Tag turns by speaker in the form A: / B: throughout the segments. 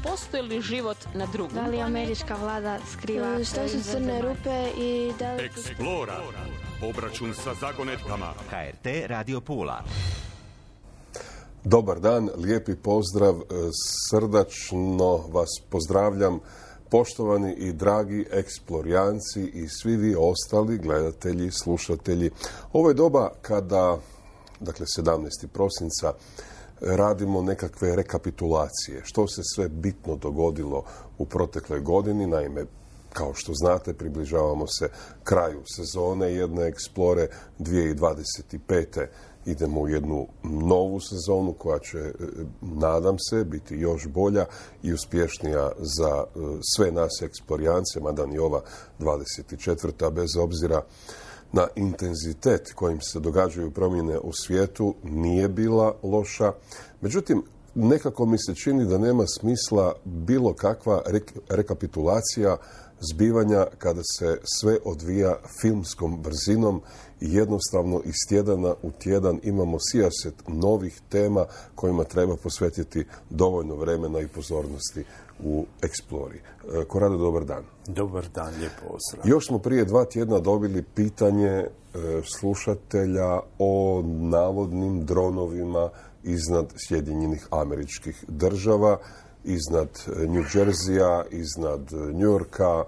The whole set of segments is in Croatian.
A: postoji li život na drugom
B: Da li američka vlada skriva
C: Šta su crne rupe i da li...
D: Eksplora. Obračun sa zagonetkama.
E: HRT Radio Pula.
F: Dobar dan, lijepi pozdrav, srdačno vas pozdravljam, poštovani i dragi eksplorijanci i svi vi ostali gledatelji, slušatelji. Ovo je doba kada, dakle 17. prosinca, radimo nekakve rekapitulacije. Što se sve bitno dogodilo u protekloj godini, naime, kao što znate, približavamo se kraju sezone jedne Eksplore 2025. Idemo u jednu novu sezonu koja će, nadam se, biti još bolja i uspješnija za sve nas eksplorijance, mada ni ova 24. bez obzira na intenzitet kojim se događaju promjene u svijetu nije bila loša. Međutim, nekako mi se čini da nema smisla bilo kakva rekapitulacija zbivanja kada se sve odvija filmskom brzinom i jednostavno iz tjedana u tjedan imamo sijaset novih tema kojima treba posvetiti dovoljno vremena i pozornosti u Eksplori. Korado, dobar dan.
G: Dobar dan, lijep pozdrav.
F: Još smo prije 2 tjedna dobili pitanje slušatelja o navodnim dronovima iznad Sjedinjenih Američkih Država, iznad New Jerseya, iznad New Yorka.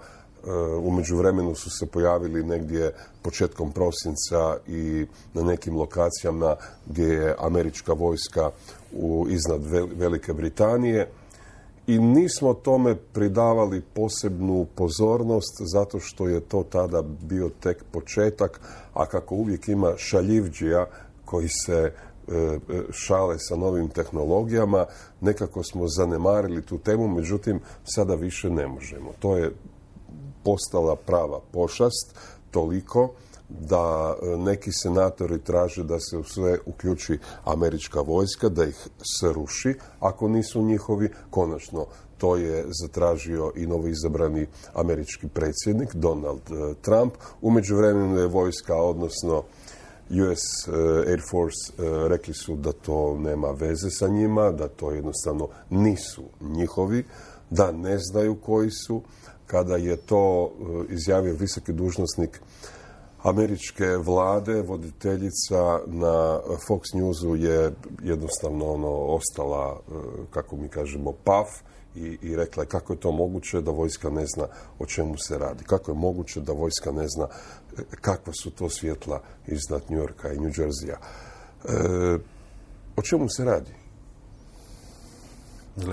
F: U međuvremenu su se pojavili negdje početkom prosinca i na nekim lokacijama gdje je američka vojska iznad Velike Britanije. I nismo tome pridavali posebnu pozornost zato što je to tada bio tek početak, a kako uvijek ima šaljivđija koji se šale sa novim tehnologijama, nekako smo zanemarili tu temu, međutim sada više ne možemo. To je postala prava pošast, toliko da neki senatori traže da se u sve uključi američka vojska, da ih sruši ako nisu njihovi. Konačno, to je zatražio i novoizabrani američki predsjednik Donald Trump. U međuvremenu je vojska, odnosno US Air Force, rekli su da to nema veze sa njima, da to jednostavno nisu njihovi, da ne znaju koji su. Kada je to izjavio visoki dužnosnik američke vlade, voditeljica na Fox Newsu je jednostavno ostala, kako mi kažemo, paf i rekla je kako je to moguće da vojska ne zna o čemu se radi. Kako je moguće da vojska ne zna kakva su to svjetla iznad New Yorka i New Jerseya. O čemu se radi?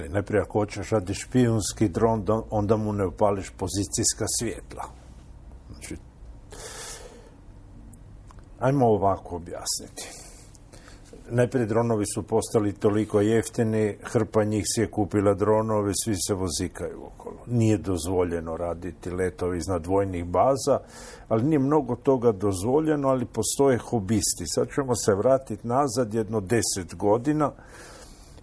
G: Najprije ako hoćeš radi špijunski dron, onda mu ne upališ pozicijska svjetla. Znači, ajmo ovako objasniti. Najprije dronovi su postali toliko jeftini, hrpa njih si je kupila dronove, svi se vozikaju okolo. Nije dozvoljeno raditi letovi iznad vojnih baza, ali nije mnogo toga dozvoljeno, ali postoje hobisti. Sad ćemo se vratiti nazad jedno 10 godina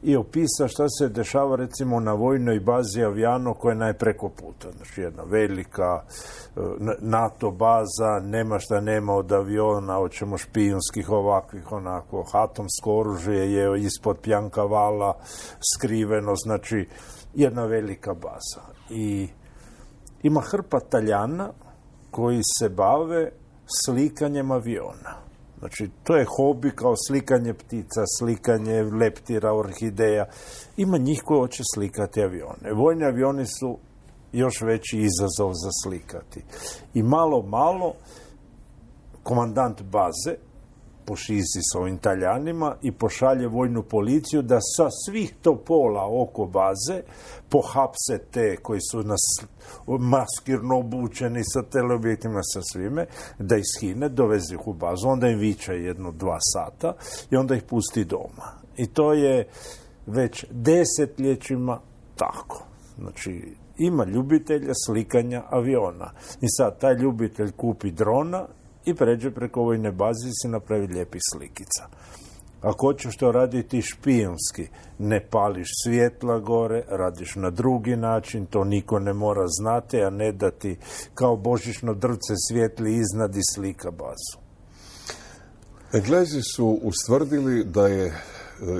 G: i opisa šta se dešava recimo na vojnoj bazi Aviano koja je najpreko puta. Znači jedna velika NATO baza, nema šta nema od aviona, hoćemo špijunskih ovakvih, onako, atomsko oružje je ispod pjanka vala skriveno, znači jedna velika baza. I ima hrpa Taljana koji se bave slikanjem aviona. Znači, to je hobi kao slikanje ptica, slikanje leptira, orhideja. Ima njih koji hoće slikati avione. Vojni avioni su još veći izazov za slikati. I malo, komandant baze pošizi s ovim Taljanima i pošalje vojnu policiju da sa svih topola oko baze pohapse te koji su maskirno obučeni sa teleobjektima, sa svime, da ih shine, doveze ih u bazu, onda im viče 1-2 sata i onda ih pusti doma. I to je već desetljećima tako. Znači, ima ljubitelja slikanja aviona. I sad taj ljubitelj kupi drona i pređe preko vojne baze i si napravi lijepih slikica. Ako hoćeš to raditi špijunski, ne pališ svjetla gore, radiš na drugi način, to niko ne mora znati, a ne da ti kao božićno drvce svijetli iznad i slika bazu.
F: Englezi su ustvrdili da je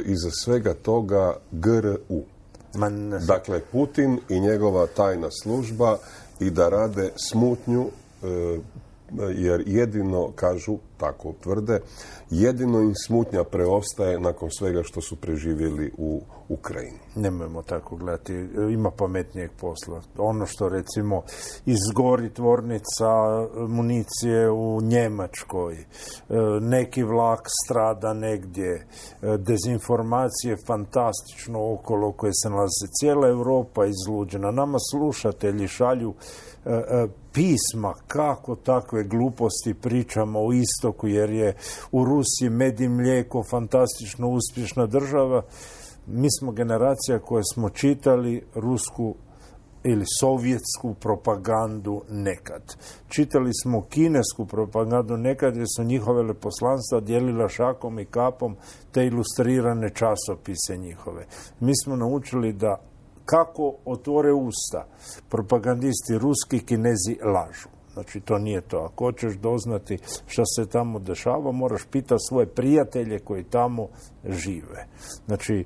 F: iza svega toga GRU. Dakle, Putin i njegova tajna služba i da rade smutnju, jer jedino, kažu, tako tvrde, jedino im smutnja preostaje nakon svega što su preživjeli u Ukrajini.
G: Nemojmo tako gledati, ima pametnijeg posla. Ono što, recimo, izgori tvornica municije u Njemačkoj, neki vlak strada negdje, dezinformacije fantastično okolo koje se nalaze, cijela Europa izluđena. Nama slušatelji šalju pisma kako takve gluposti pričamo o istoku, jer je u Rusiji med i mlijeko fantastično uspješna država. Mi smo generacija koja smo čitali rusku ili sovjetsku propagandu nekad. Čitali smo kinesku propagandu nekad jer su njihove veleposlanstva dijelila šakom i kapom te ilustrirane časopise njihove. Mi smo naučili da kako otvore usta propagandisti ruski, Kinezi lažu. Znači, to nije to. Ako hoćeš doznati što se tamo dešava, moraš pitati svoje prijatelje koji tamo žive. Znači,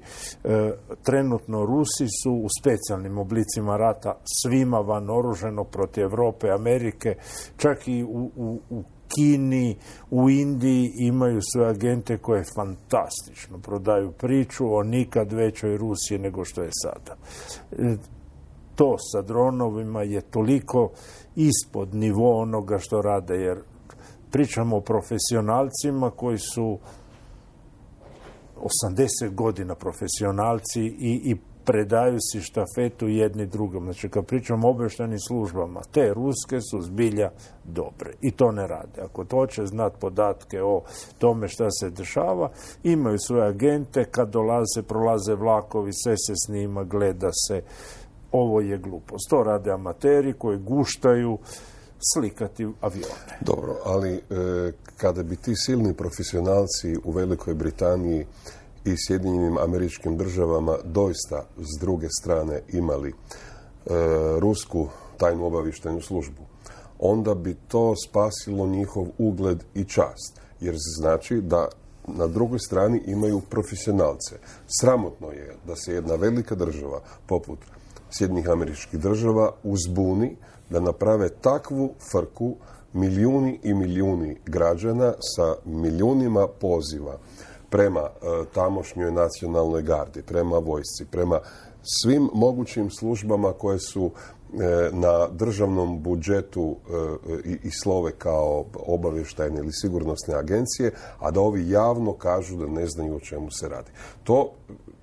G: trenutno Rusi su u specijalnim oblicima rata svima van oruženo protiv Europe, Amerike, čak i u Kini, u Indiji imaju sve agente koje fantastično prodaju priču o nikad većoj Rusiji nego što je sada. To sa dronovima je toliko ispod nivoa onoga što rade, jer pričamo o profesionalcima koji su 80 godina profesionalci i predaju si štafetu jedni drugom. Znači, kad pričamo o obavještajnim službama, te ruske su zbilja dobre i to ne rade. Ako to hoće znati podatke o tome šta se dešava, imaju svoje agente, kad prolaze vlakovi, sve se snima, gleda se. Ovo je glupost. To rade amateri koji guštaju slikati avione.
F: Dobro, ali kada bi ti silni profesionalci u Velikoj Britaniji i Sjedinjenim Američkim Državama doista s druge strane imali rusku tajnu obavještajnu službu, onda bi to spasilo njihov ugled i čast. Jer znači da na drugoj strani imaju profesionalce. Sramotno je da se jedna velika država poput Sjedinjenih Američkih Država uzbuni da naprave takvu frku milijuni i milijuni građana sa milijunima poziva prema tamošnjoj nacionalnoj gardi, prema vojsci, prema svim mogućim službama koje su na državnom budžetu i slove kao obavještajne ili sigurnosne agencije, a da ovi javno kažu da ne znaju o čemu se radi.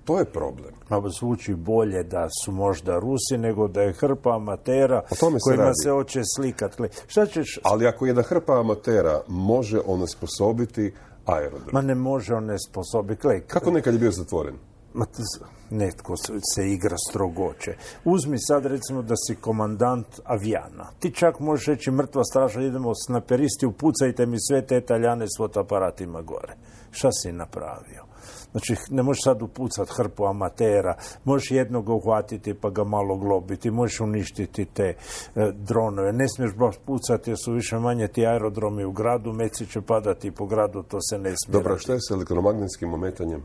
F: To je problem.
G: Zvuči bolje da su možda Rusi nego da je hrpa amatera kojima se hoće slikati. Šta ćeš...
F: Ali ako jedna hrpa amatera može onesposobiti aerodrom.
G: Ma ne može onesposobiti.
F: Kako nekad je bio zatvoren?
G: Netko se igra strogoće. Uzmi sad recimo da si komandant avijana. Ti čak možeš reći mrtva straža, idemo snajperisti, upucajte mi sve te Italijane s fotoaparatima gore. Šta si napravio? Znači, ne možeš sad upucati hrpu amatera, možeš jednog uhvatiti pa ga malo globiti, možeš uništiti te dronove. Ne smiješ baš pucati jer su više manje ti aerodromi u gradu, meci će padati po gradu, to se ne smije.
F: Dobro, što je s elektromagnetskim ometanjem?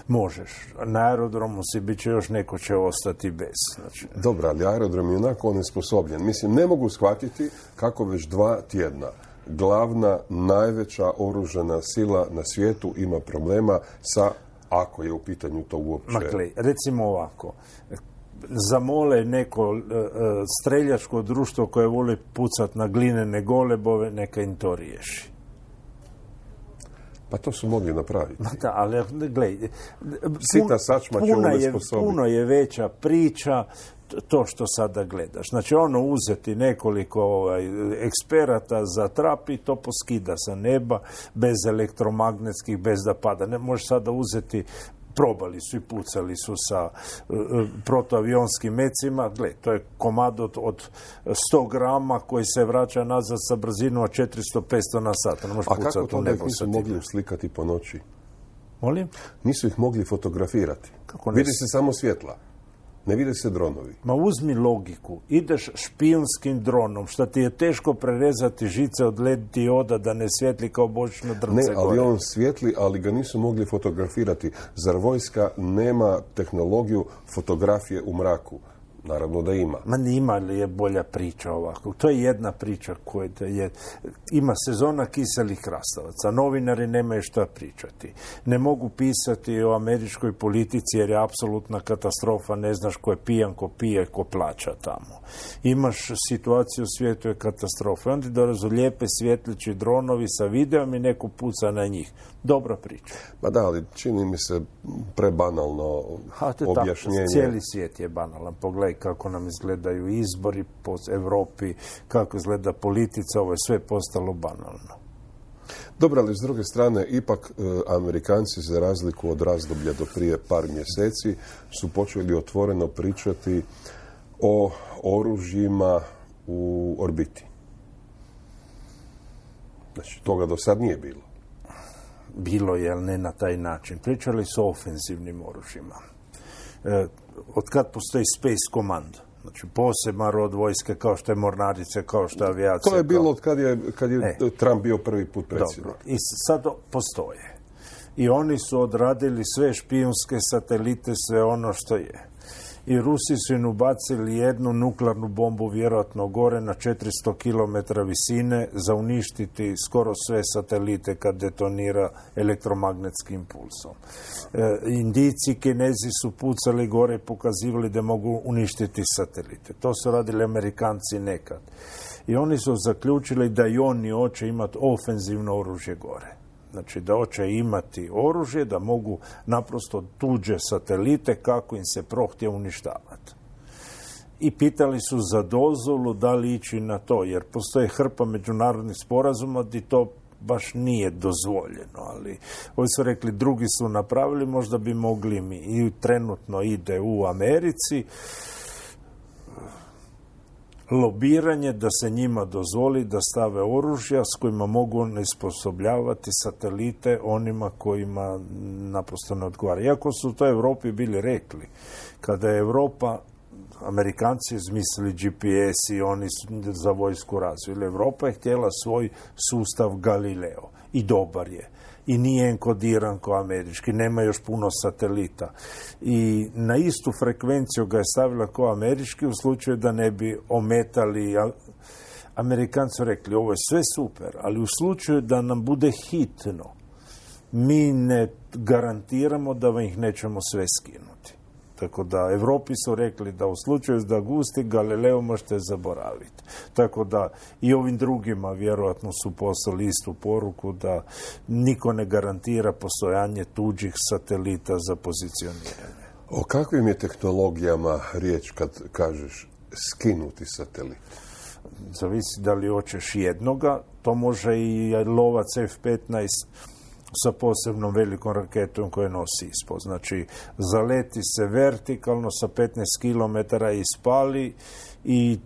G: Možeš. Na aerodromu si bit će još neko će ostati bez. Znači...
F: Dobro, ali aerodrom je onako onesposobljen. Mislim, ne mogu shvatiti kako već 2 tjedna glavna, najveća oružana sila na svijetu ima problema sa, ako je u pitanju to uopće...
G: Makle, recimo ovako, zamole neko streljačko društvo koje voli pucat na glinene golebove, neka im to riješi.
F: Pa to su mogli napraviti.
G: Da, ali gledaj,
F: sita sačma će onesposobiti.
G: Puno je veća priča to što sada gledaš. Znači, uzeti nekoliko eksperata za trap i to poskida sa neba, bez elektromagnetskih, bez da pada. Ne možeš sada uzeti, probali su i pucali su sa protoavionskim mecima. Gle, to je komad od 100 grama koji se vraća nazad sa brzinom od 400-500 na sat.
F: A kako to da ih nisu mogli slikati po noći?
G: Molim?
F: Nisu ih mogli fotografirati. Vidi se samo svjetla. Ne vide se dronovi.
G: Ma uzmi logiku. Ideš špijunskim dronom, što ti je teško prerezati žice od LED dioda da ne svijetli kao božićno drvce
F: Ne, ali
G: gore.
F: on svijetli, ali ga nisu mogli fotografirati. Zar vojska nema tehnologiju fotografije u mraku? Naravno da ima.
G: Ma nima li je bolja priča ovako? To je jedna priča koja je... Ima sezona kiselih krastavaca. Novinari nemaju šta pričati. Ne mogu pisati o američkoj politici jer je apsolutna katastrofa. Ne znaš ko je pijan, ko pije, ko plaća tamo. Imaš situaciju u svijetu je katastrofa. Onda dolaze lijepe svjetlići dronovi sa videom i neko puca na njih. Dobra priča.
F: Ma da, ali čini mi se prebanalno objašnjenje.
G: Cijeli svijet je banalan. Pogledaj kako nam izgledaju izbori po Europi, kako izgleda politica, ovo je sve postalo banalno.
F: Dobro, ali s druge strane, ipak Amerikanci, za razliku od razdoblja do prije par mjeseci, su počeli otvoreno pričati o oružjima u orbiti. Znači, toga do sad nije bilo.
G: Bilo je, ali ne na taj način. Pričali su o ofenzivnim oružjima. Od kad postoji Space Command, znači poseban rod vojske kao što je mornarice, kao što je avijacija.
F: To je bilo od kad je Trump bio prvi put predsjednik.
G: Dobro. I sad postoje. I oni su odradili sve špijunske satelite, sve ono što je. I Rusi su im ubacili jednu nuklearnu bombu vjerojatno gore na 400 km visine za uništiti skoro sve satelite kad detonira elektromagnetskim impulsom. Indijci, Kinezi su pucali gore i pokazivali da mogu uništiti satelite. To su radili Amerikanci nekad. I oni su zaključili da i oni hoće imati ofenzivno oružje gore. Znači da hoće imati oružje, da mogu naprosto tuđe satelite kako im se prohtje uništavati. I pitali su za dozvolu da li ići na to, jer postoje hrpa međunarodnih sporazuma gdje to baš nije dozvoljeno, ali ovi su rekli drugi su napravili, možda bi mogli mi. I trenutno ide u Americi lobiranje da se njima dozvoli da stave oružja s kojima mogu onesposobljavati satelite onima kojima naprosto ne odgovara. Iako su to Europi bili rekli, kada je Europa, Amerikanci izmislili GPS i oni su za vojsku razvili. Europa je htjela svoj sustav Galileo i dobar je. I nije enkodiran kao američki, nema još puno satelita. I na istu frekvenciju ga je stavila kao američki u slučaju da ne bi ometali. Amerikanci su rekli, ovo je sve super, ali u slučaju da nam bude hitno, mi ne garantiramo da ih nećemo sve skinuti. Tako da Evropi su rekli da u slučaju da gusti Galileo možete zaboraviti. Tako da i ovim drugima vjerojatno su poslali istu poruku da niko ne garantira postojanje tuđih satelita za pozicioniranje.
F: O kakvim je tehnologijama riječ kad kažeš skinuti satelit?
G: Zavisi da li hoćeš jednoga, to može i lovac F-15 sa posebnom velikom raketom koje nosi ispod. Znači, zaleti se vertikalno sa 15 km i spali i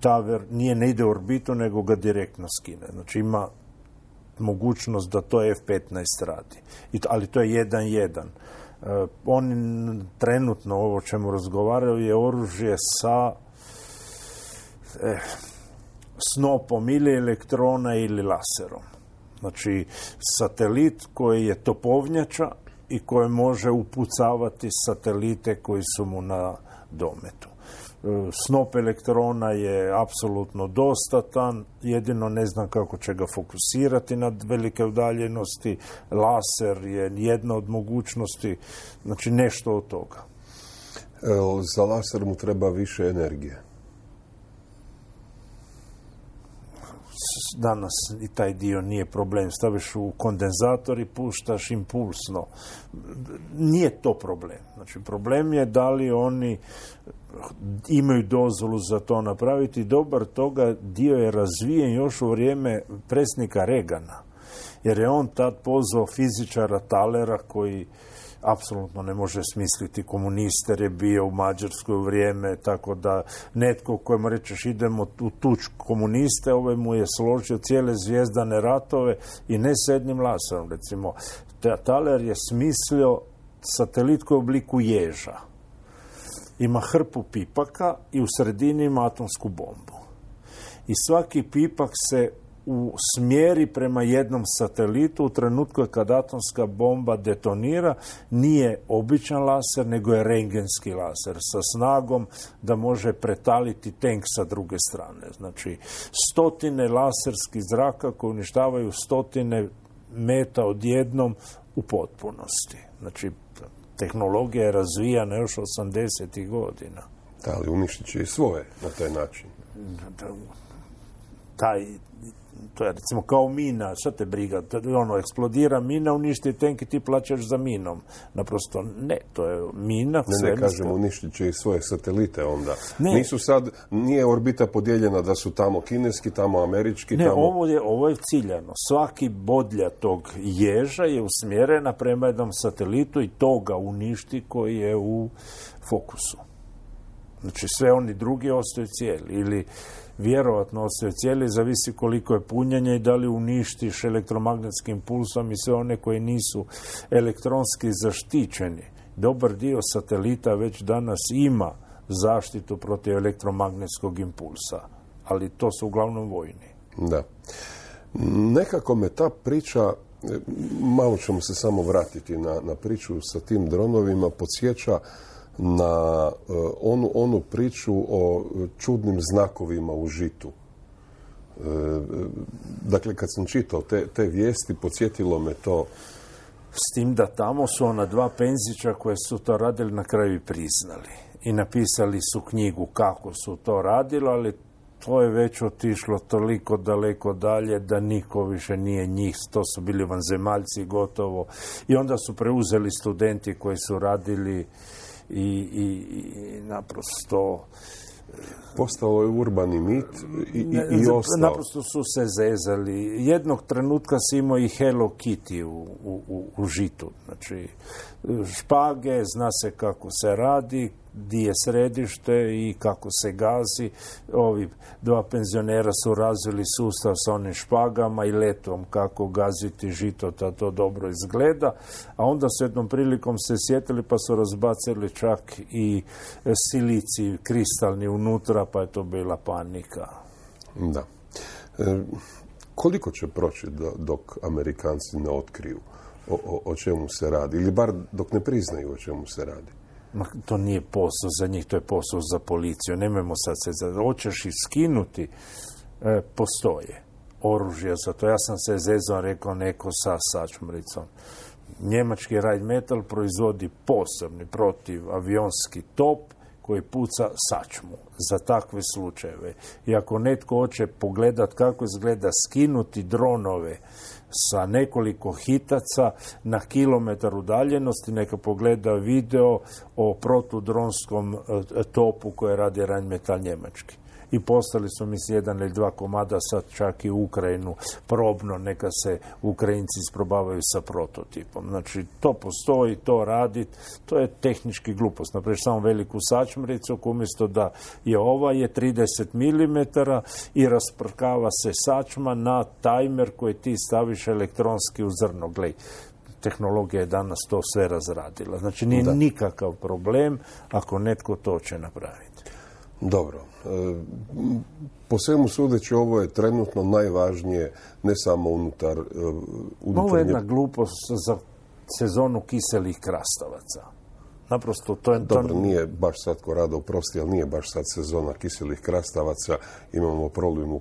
G: ne ide u orbitu, nego ga direktno skine. Znači, ima mogućnost da to F-15 radi. Ali to je 1-1. Oni trenutno, ovo o čemu razgovaraju, je oružje sa snopom ili elektrona ili laserom. Znači, satelit koji je topovnjača i koji može upucavati satelite koji su mu na dometu. Snop elektrona je apsolutno dostatan, jedino ne znam kako će ga fokusirati na velike udaljenosti. Laser je jedna od mogućnosti, znači nešto od toga.
F: Za laser mu treba više energije.
G: Danas i taj dio nije problem. Staviš u kondenzator i puštaš impulsno. Nije to problem. Znači, problem je da li oni imaju dozvolu za to napraviti. Dobar toga dio je razvijen još u vrijeme predsjednika Reagana. Jer je on tad pozvao fizičara Thalera koji apsolutno ne može smisliti komuniste, jer je bio u Mađarskoj u vrijeme, tako da netko kojemu rečeš idemo u tuč komuniste, ovaj mu je složio cijele zvijezdane ratove i ne s jednim laserom. Recimo, Thaler je smislio satelit koji je u obliku ježa. ima hrpu pipaka i u sredini ima atomsku bombu. I svaki pipak se usmjeri prema jednom satelitu u trenutku kad atomska bomba detonira, nije običan laser, nego je rentgenski laser sa snagom da može pretaliti tank sa druge strane. Znači, stotine laserskih zraka koji uništavaju stotine meta odjednom u potpunosti. Znači, tehnologija je razvijana još 80. godina.
F: Da, ali uništit će i svoje na taj način.
G: To je recimo kao mina, šta te briga, eksplodira mina, uništi tank i ti plaćaš za minom. Naprosto ne, to je mina.
F: Ne kažemo, uništit će i svoje satelite onda. Nije orbita podijeljena da su tamo kineski, tamo američki.
G: Ne, ovo je ciljano. Svaki bodlja tog ježa je usmjerena prema jednom satelitu i to ga uništi koji je u fokusu. Znači sve oni drugi ostaju cijeli ili vjerovatno ostaju cijeli, zavisi koliko je punjenje i da li uništiš elektromagnetskim pulsom i sve one koji nisu elektronski zaštićeni. Dobar dio satelita već danas ima zaštitu protiv elektromagnetskog impulsa, ali to su uglavnom vojni.
F: Da. Nekako me ta priča, malo ćemo se samo vratiti na priču sa tim dronovima, podsjeća na onu priču o čudnim znakovima u žitu. Dakle, kad sam čitao te vijesti, podsjetilo me to.
G: S tim da tamo su ona dva penzića koje su to radili na kraju priznali. I napisali su knjigu kako su to radili, ali to je već otišlo toliko daleko dalje da niko više nije njih. To su bili vanzemaljci gotovo. I onda su preuzeli studenti koji su radili i naprosto
F: postao je urbani mit i ostao.
G: Naprosto su se zezali. Jednog trenutka si imao i Hello Kitty u žitu. Znači, špage, zna se kako se radi, di je središte i kako se gazi. Ovi dva penzionera su razvili sustav sa onim špagama i letom kako gaziti žito da to dobro izgleda, a onda su jednom prilikom se sjetili pa su razbacili čak i silicij kristalni unutra, pa je to bila panika.
F: Da. Koliko će proći dok Amerikanci ne otkriju o čemu se radi? Ili bar dok ne priznaju o čemu se radi?
G: To nije posao za njih, to je posao za policiju. Nemojmo sad se hoćeš skinuti, postoje oružje za to. Ja sam se zezao, rekao neko sa sačmricom. Njemački Rheinmetall proizvodi posebni protivavionski top koji puca sačmu za takve slučajeve. I ako netko hoće pogledat kako izgleda skinuti dronove sa nekoliko hitaca na kilometar udaljenosti, neka pogleda video o protudronskom topu koje radi Rheinmetall njemački. I postali su mi jedan ili dva komada sad čak i u Ukrajinu probno, neka se Ukrajinci isprobavaju sa prototipom. Znači, to postoji, to radi, to je tehnički glupost. Naprijed samo veliku sačmricu, umjesto da je ova je 30 mm i rasprkava se sačma na tajmer koji ti staviš elektronski u zrno. Glej, tehnologija je danas to sve razradila. Znači, nije nikakav problem ako netko to će napraviti.
F: Dobro. Po svemu sudeći, ovo je trenutno najvažnije, ne samo unutar...
G: Ovo je jedna glupost za sezonu kiselih krastavaca. Naprosto to je...
F: Dobro, nije baš sad, Korado, oprosti, ali nije baš sad sezona kiselih krastavaca. Imamo problem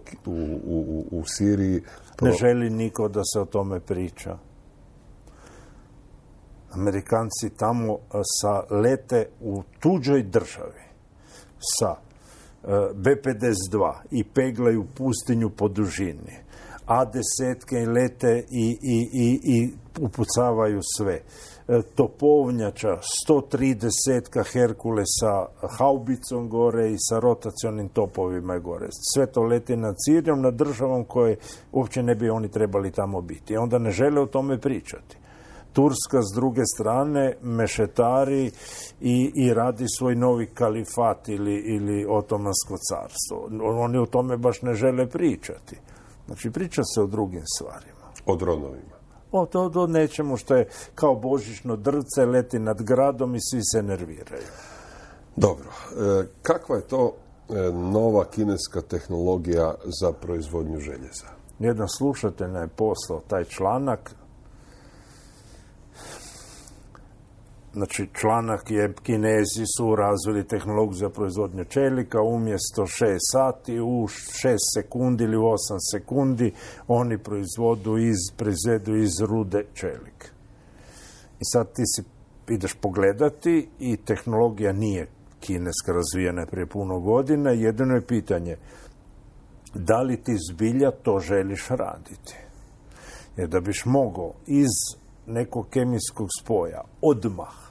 F: u Siriji.
G: Ne želi niko da se o tome priča. Amerikanci tamo lete u tuđoj državi sa B-52 i peglaju pustinju po dužini. A-10 lete i upucavaju sve. Topovnjača, 130 Herkulesa haubicom gore i sa rotacionim topovima gore. Sve to leti nad Sirijom, nad državom koje uopće ne bi oni trebali tamo biti. Onda ne žele o tome pričati. Turska s druge strane mešetari i radi svoj novi kalifat ili otomansko carstvo. Oni o tome baš ne žele pričati. Znači, priča se o drugim stvarima.
F: O dronovima.
G: O nečemu što je kao božićno drvce, leti nad gradom i svi se nerviraju.
F: Dobro. Kakva je to nova kineska tehnologija za proizvodnju željeza?
G: Jedan slušatelj je poslao taj članak. Znači, članak je Kinezi su razvili tehnologiju za proizvodnju čelika, umjesto 6 sati, u 6 sekundi ili u 8 sekundi oni proizvedu iz rude čelik. I sad ti ideš pogledati i tehnologija nije kineska, razvijena je prije puno godina. Jedino je pitanje da li ti zbilja to želiš raditi. Jer da biš mogao iz nekog kemijskog spoja odmah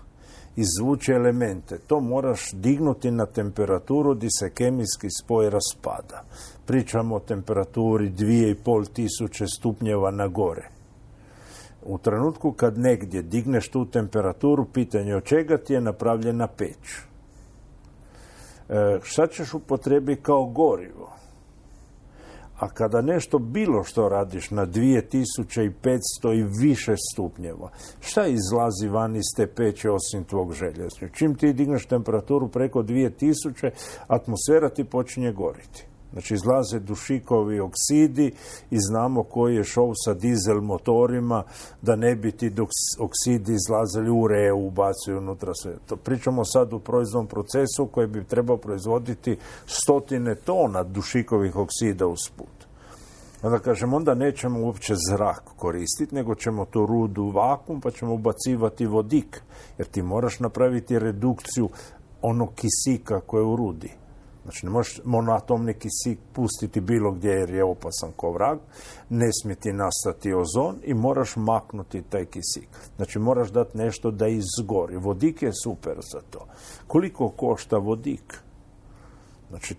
G: izvući elemente, to moraš dignuti na temperaturu gdje se kemijski spoj raspada. Pričamo o temperaturi 2500 stupnjeva na gore. U trenutku kad negdje digneš tu temperaturu, pitanje od čega ti je napravljena peć. Šta ćeš upotrijebiti kao gorivo? A kada nešto bilo što radiš na 2500 i više stupnjeva, šta izlazi van iz te peće osim tvog željeza? Čim ti digneš temperaturu preko 2000, atmosfera ti počinje goriti. Znači, izlaze dušikovi oksidi i znamo koji je šov sa dizel motorima, da ne bi ti oksidi izlazili ureu, ubacuju unutra sve. To pričamo sad u proizvodnom procesu koji bi trebao proizvoditi 100 tona dušikovih oksida usput. Onda kažem, onda nećemo uopće zrak koristiti, nego ćemo tu rudu vakuum, pa ćemo ubacivati vodik, jer ti moraš napraviti redukciju onog kisika koje je u rudi. Znači, ne možeš monoatomni kisik pustiti bilo gdje jer je opasan ko vrag, ne smije ti nastati ozon i moraš maknuti taj kisik. Znači, moraš dati nešto da izgori. Vodik je super za to. Koliko košta vodik? Znači,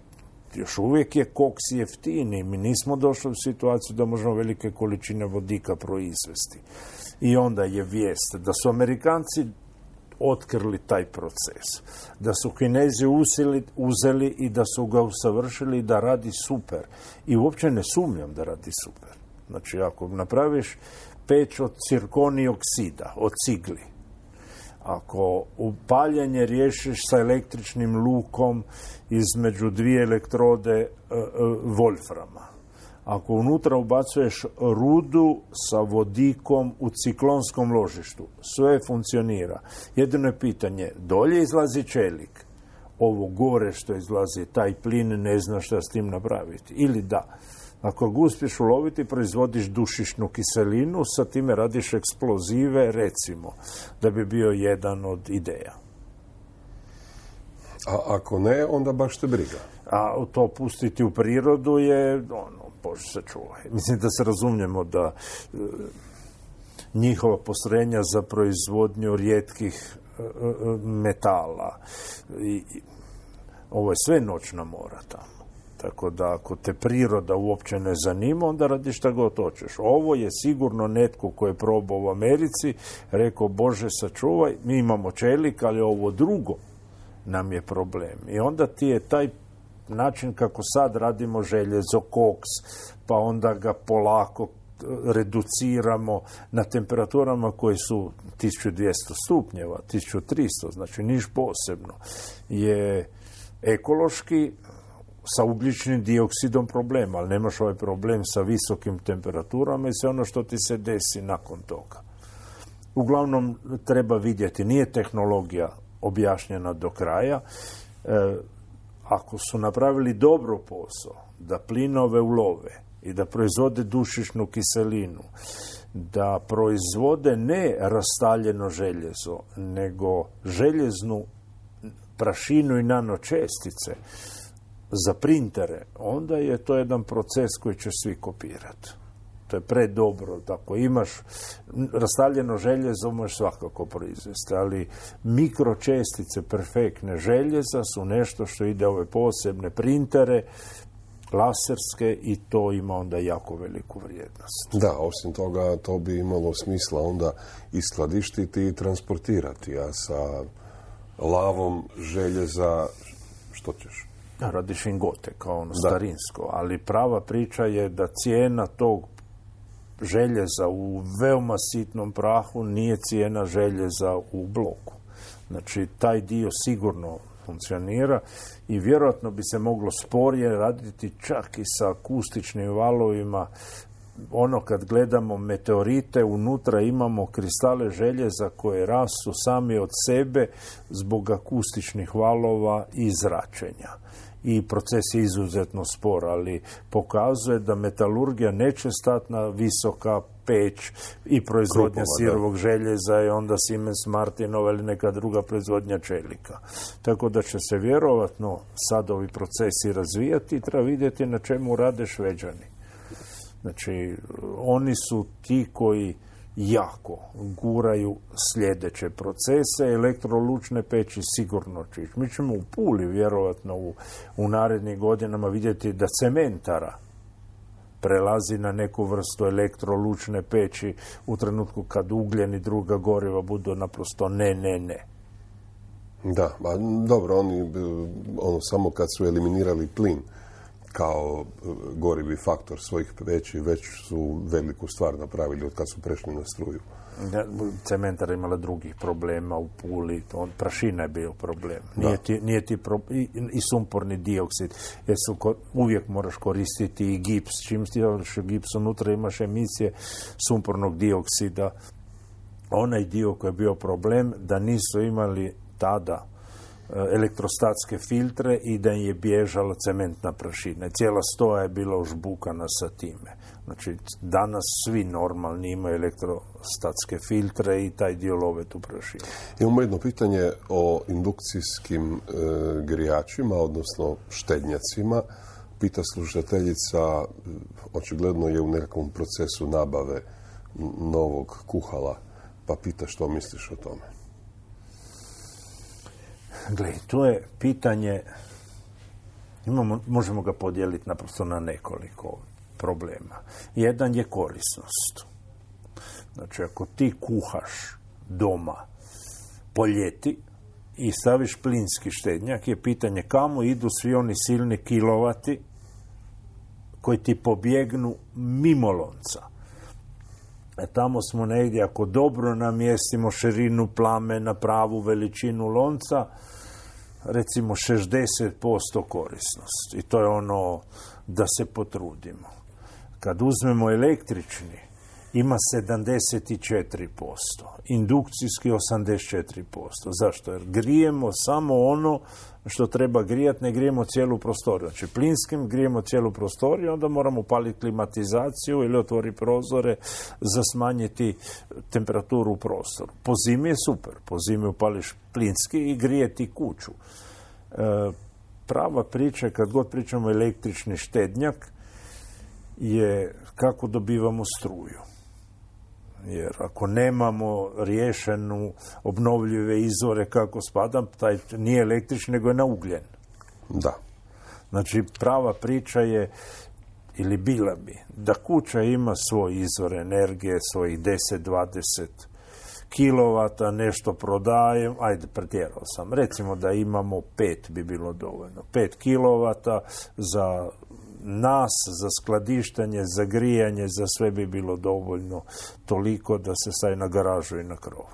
G: još uvijek je koks jeftiniji. Mi nismo došli u situaciju da možemo velike količine vodika proizvesti. I onda je vijest da su Amerikanci otkrili taj proces, da su Kinezi uzeli i da su ga usavršili i da radi super. I uopće ne sumnjam da radi super. Znači, ako napraviš peć od cirkonij oksida, od cigli, ako upaljenje riješiš sa električnim lukom između dvije elektrode Wolframa, ako unutra ubacuješ rudu sa vodikom u ciklonskom ložištu, sve funkcionira. Jedino je pitanje, dolje izlazi čelik, ovo gore što izlazi, taj plin, ne zna šta s tim napraviti. Ili da, ako ga uspješ uloviti, proizvodiš dušičnu kiselinu, sa time radiš eksplozive, recimo, da bi bio jedan od ideja.
F: A ako ne, onda baš te briga.
G: A to pustiti u prirodu je, Bože se čuvaj. Mislim da se razumijemo da njihova postrojenja za proizvodnju rijetkih metala ovo je sve noćna mora tamo. Tako da ako te priroda uopće ne zanima, onda radiš šta god hoćeš. Ovo je sigurno netko ko je probao u Americi, rekao, Bože sačuvaj, mi imamo čelik, ali ovo drugo nam je problem. I onda ti je taj način kako sad radimo željezo, koks, pa onda ga polako reduciramo na temperaturama koje su 1200 stupnjeva, 1300, znači niš posebno, je ekološki sa ugljičnim dioksidom problem, ali nemaš ovaj problem sa visokim temperaturama i sve ono što ti se desi nakon toga. Uglavnom, treba vidjeti, nije tehnologija objašnjena do kraja. Ako su napravili dobro posao, da plinove ulove i da proizvode dušičnu kiselinu, da proizvode ne rastaljeno željezo, nego željeznu prašinu i nanočestice za printere, onda je to jedan proces koji će svi kopirati. To je predobro. Ako imaš rastavljeno željezo, možeš svakako proizvesti, ali mikročestice perfektne željeza su nešto što ide ove posebne printere, laserske, i to ima onda jako veliku vrijednost.
F: Da, osim toga, to bi imalo smisla onda i skladištiti i transportirati, a sa lavom željeza što ćeš?
G: Radiš ingote, kao ono starinsko, ali prava priča je da cijena tog željeza u veoma sitnom prahu nije cijena željeza u bloku. Znači, taj dio sigurno funkcionira i vjerojatno bi se moglo sporije raditi čak i sa akustičnim valovima. Ono kad gledamo meteorite, unutra imamo kristale željeza koje rastu sami od sebe zbog akustičnih valova i zračenja. I proces je izuzetno spor, ali pokazuje da metalurgija neće stati na visoka peć i proizvodnja sirovog željeza i onda Siemens Martinova ili neka druga proizvodnja čelika. Tako da će se vjerovatno sad ovi procesi razvijati i treba vidjeti na čemu rade Šveđani. Znači, oni su ti koji jako guraju sljedeće procese, elektrolučne peći sigurno će ići. Mi ćemo u Puli vjerovatno u narednim godinama vidjeti da cementara prelazi na neku vrstu elektrolučne peći u trenutku kad ugljen i druga goriva budu naprosto ne.
F: Da, dobro, oni samo kad su eliminirali plin kao gorivi faktor svojih peći, već su veliku stvar napravili od kad su prešli na struju.
G: Cementara imala drugih problema u Puli, prašina je bio problem. Nije ti i sumporni dioksid, jer uvijek moraš koristiti i gips. Čim ti daš gips, unutra imaš emisije sumpornog dioksida. Onaj dio koji je bio problem, da nisu imali tada elektrostatske filtre i da im je bježala cementna prašina. Cijela stoja je bila užbukana sa time. Znači, danas svi normalni imaju elektrostatske filtre i taj dio love tu prašinu.
F: Imamo jedno pitanje o indukcijskim grijačima, odnosno štednjacima. Pita slušateljica, očigledno je u nekakvom procesu nabave novog kuhala, pa pita što misliš o tome.
G: Gle, to je pitanje, možemo ga podijeliti naprosto na nekoliko problema. Jedan je korisnost. Znači, ako ti kuhaš doma po ljeti i staviš plinski štednjak, je pitanje kamo idu svi oni silni kilovati koji ti pobjegnu mimo lonca. Tamo smo negdje, ako dobro namjestimo širinu plame na pravu veličinu lonca, recimo 60% korisnost. I to je ono da se potrudimo. Kad uzmemo električni, ima 74%, indukcijski 84%. Zašto? Jer grijemo samo ono što treba grijati, ne grijemo cijelu prostoriju. Znači, plinskim grijemo cijelu prostoriju, onda moramo upaliti klimatizaciju ili otvoriti prozore za smanjiti temperaturu u prostoru. Po zimi je super. Po zimi upališ plinski i grijeti kuću. Prava priča, kad god pričamo električni štednjak, je kako dobivamo struju. Jer ako nemamo riješenu obnovljive izvore kako spada, taj nije električni, nego je na ugljen.
F: Da.
G: Znači, prava priča je, ili bila bi, da kuća ima svoj izvor energije, svojih 10-20 kilovata, nešto prodajem, ajde, pretjerao sam. Recimo da imamo 5 bi bilo dovoljno. 5 kilovata za nas, za skladištanje, za grijanje, za sve bi bilo dovoljno toliko da se staje na garažu i na krov.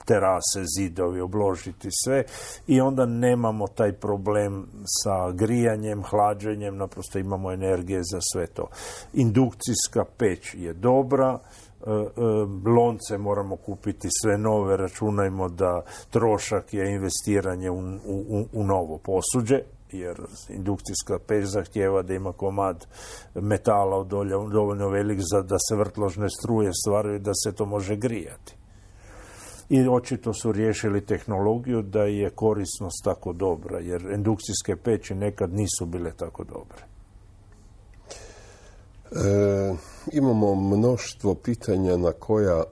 G: Terase, zidovi, obložiti sve i onda nemamo taj problem sa grijanjem, hlađenjem, naprosto imamo energije za sve to. Indukcijska peć je dobra, lonce moramo kupiti sve nove, računajmo da trošak je investiranje u novo posuđe, jer indukcijska peć zahtijeva da ima komad metala dovoljno velik da se vrtložne struje stvaraju da se to može grijati. I očito su riješili tehnologiju da je korisnost tako dobra, jer indukcijske peći nekad nisu bile tako dobre.
F: Imamo mnoštvo pitanja na koja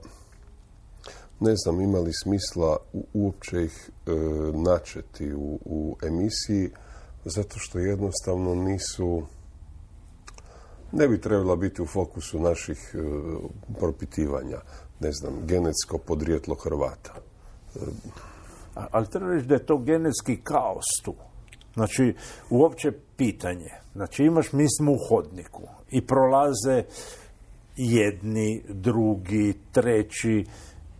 F: ne znam ima li smisla uopće ih načeti u emisiji, zato što jednostavno ne bi trebala biti u fokusu naših propitivanja. Ne znam, genetsko podrijetlo Hrvata.
G: Ali treba reći da je to genetski kaos tu. Znači, uopće pitanje. Znači, mi smo u hodniku i prolaze jedni, drugi, treći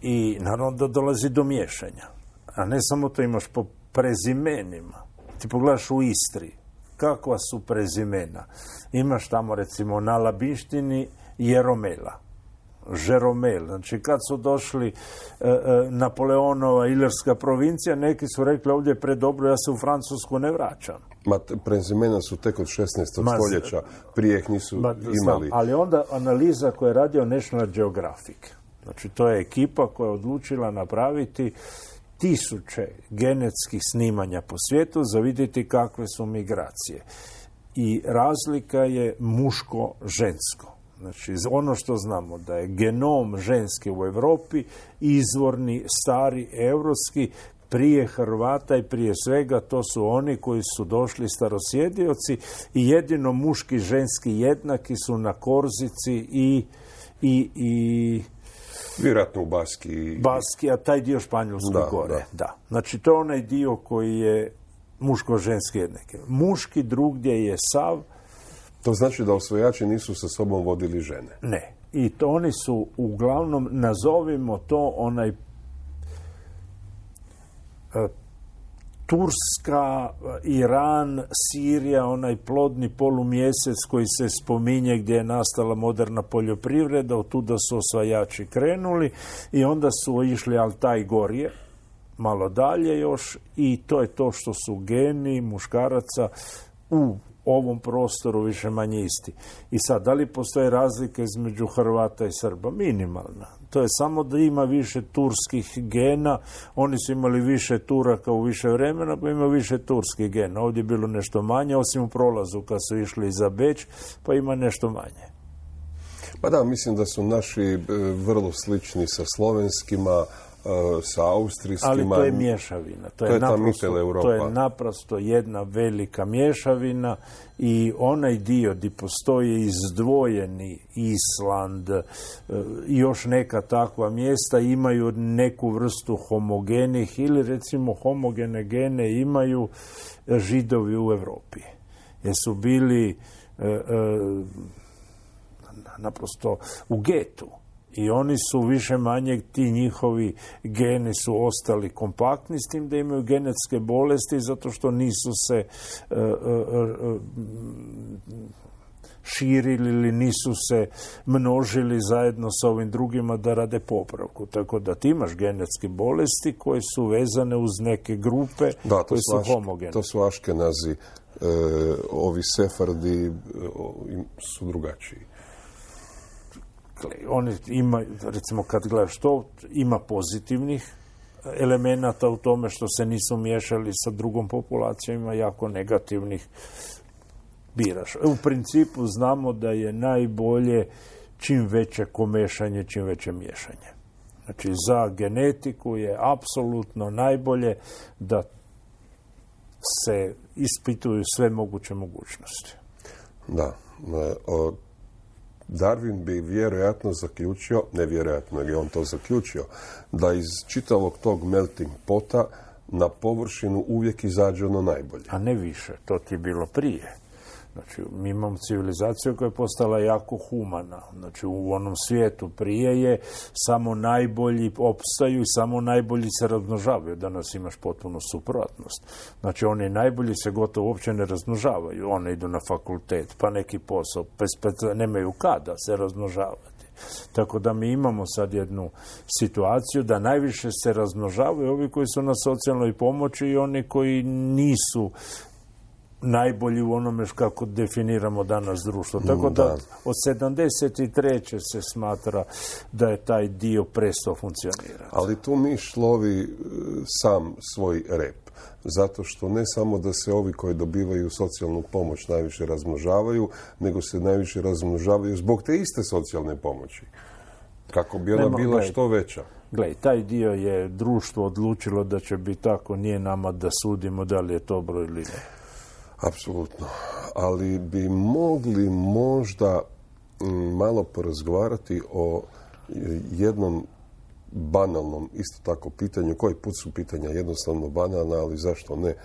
G: i naravno da dolazi do miješanja. A ne samo to, imaš po prezimenima. Ti pogledaš u Istri, kakva su prezimena. Imaš tamo recimo na Labinštini Jeromela, Žeromel. Znači kad su došli Napoleonova Ilirska provincija, neki su rekli ovdje je predobro, ja se u Francusku ne vraćam.
F: Prezimena su tek od 16. stoljeća, prije ih nisu imali.
G: Ali onda analiza koju je radio National Geographic. Znači to je ekipa koja je odlučila napraviti 1000 genetskih snimanja po svijetu za vidjeti kakve su migracije. I razlika je muško-žensko. Znači, ono što znamo da je genom ženski u Europi izvorni, stari, europski, prije Hrvata i prije svega to su oni koji su došli starosjedioci i jedino muški, ženski jednaki su na Korzici i
F: vjerojatno u Baski.
G: Baski, a taj dio Španjolske gore. Da. Znači, to je onaj dio koji je muško-ženski jednaki. Muški drugdje je sav.
F: To znači da osvajači nisu sa sobom vodili žene?
G: Ne. I to oni su uglavnom, nazovimo to onaj Turska, Iran, Sirija, onaj plodni polumjesec koji se spominje gdje je nastala moderna poljoprivreda, od tuda su osvajači krenuli i onda su išli Altaj gorje, malo dalje još, i to je to što su geni muškaraca u ovom prostoru više manje isti. I sad, da li postoje razlike između Hrvata i Srba? Minimalna. To je samo da ima više turskih gena. Oni su imali više Turaka u više vremena, pa ima više turskih gena. Ovdje je bilo nešto manje, osim u prolazu kad su išli za Beč, pa ima nešto manje.
F: Pa da, mislim da su naši vrlo slični sa slovenskima, sa austrijskima.
G: Ali to je mješavina. To je naprosto jedna velika mješavina i onaj dio gdje postoji izdvojeni Island i još neka takva mjesta imaju neku vrstu homogenih ili recimo homogene gene imaju Židovi u Europi. Jer su bili naprosto u getu. I oni su više manje, ti njihovi geni su ostali kompaktni s tim da imaju genetske bolesti zato što nisu se širili ili nisu se množili zajedno sa ovim drugima da rade popravku. Tako da ti imaš genetske bolesti koje su vezane uz neke grupe koje su homogene.
F: To su Aškenazi, ovi Sefardi su drugačiji.
G: Oni imaju, recimo kad gledaš to, ima pozitivnih elemenata u tome što se nisu miješali sa drugom populacijom, ima jako negativnih, biraš. U principu znamo da je najbolje čim veće komešanje, čim veće miješanje. Znači za genetiku je apsolutno najbolje da se ispituju sve moguće mogućnosti.
F: Da, Darwin bi vjerojatno zaključio, nevjerojatno je on to zaključio, da iz čitavog tog melting pota na površinu uvijek izađe ono najbolje.
G: A ne više, to ti je bilo prije. Znači, mi imamo civilizaciju koja je postala jako humana. Znači, u onom svijetu prije je samo najbolji opstaju i samo najbolji se razmnožavaju. Danas imaš potpuno suprotnost. Znači, oni najbolji se gotovo uopće ne razmnožavaju. Oni idu na fakultet, pa neki posao, nemaju kada se razmnožavati. Tako da mi imamo sad jednu situaciju da najviše se razmnožavaju ovi koji su na socijalnoj pomoći i oni koji nisu najbolji u onome kako definiramo danas društvo. Tako da od 73. se smatra da je taj dio prestao funkcionirati.
F: Ali tu miš lovi sam svoj rep. Zato što ne samo da se ovi koji dobivaju socijalnu pomoć najviše razmnožavaju, nego se najviše razmnožavaju zbog te iste socijalne pomoći. Kako bi ona bila što veća.
G: Gledaj, taj dio je društvo odlučilo da će biti tako, nije nama da sudimo da li je to dobro ili ne.
F: Apsolutno. Ali bi mogli možda malo porazgovarati o jednom banalnom, isto tako pitanju. Koji put su pitanja jednostavno banalna, ali zašto ne?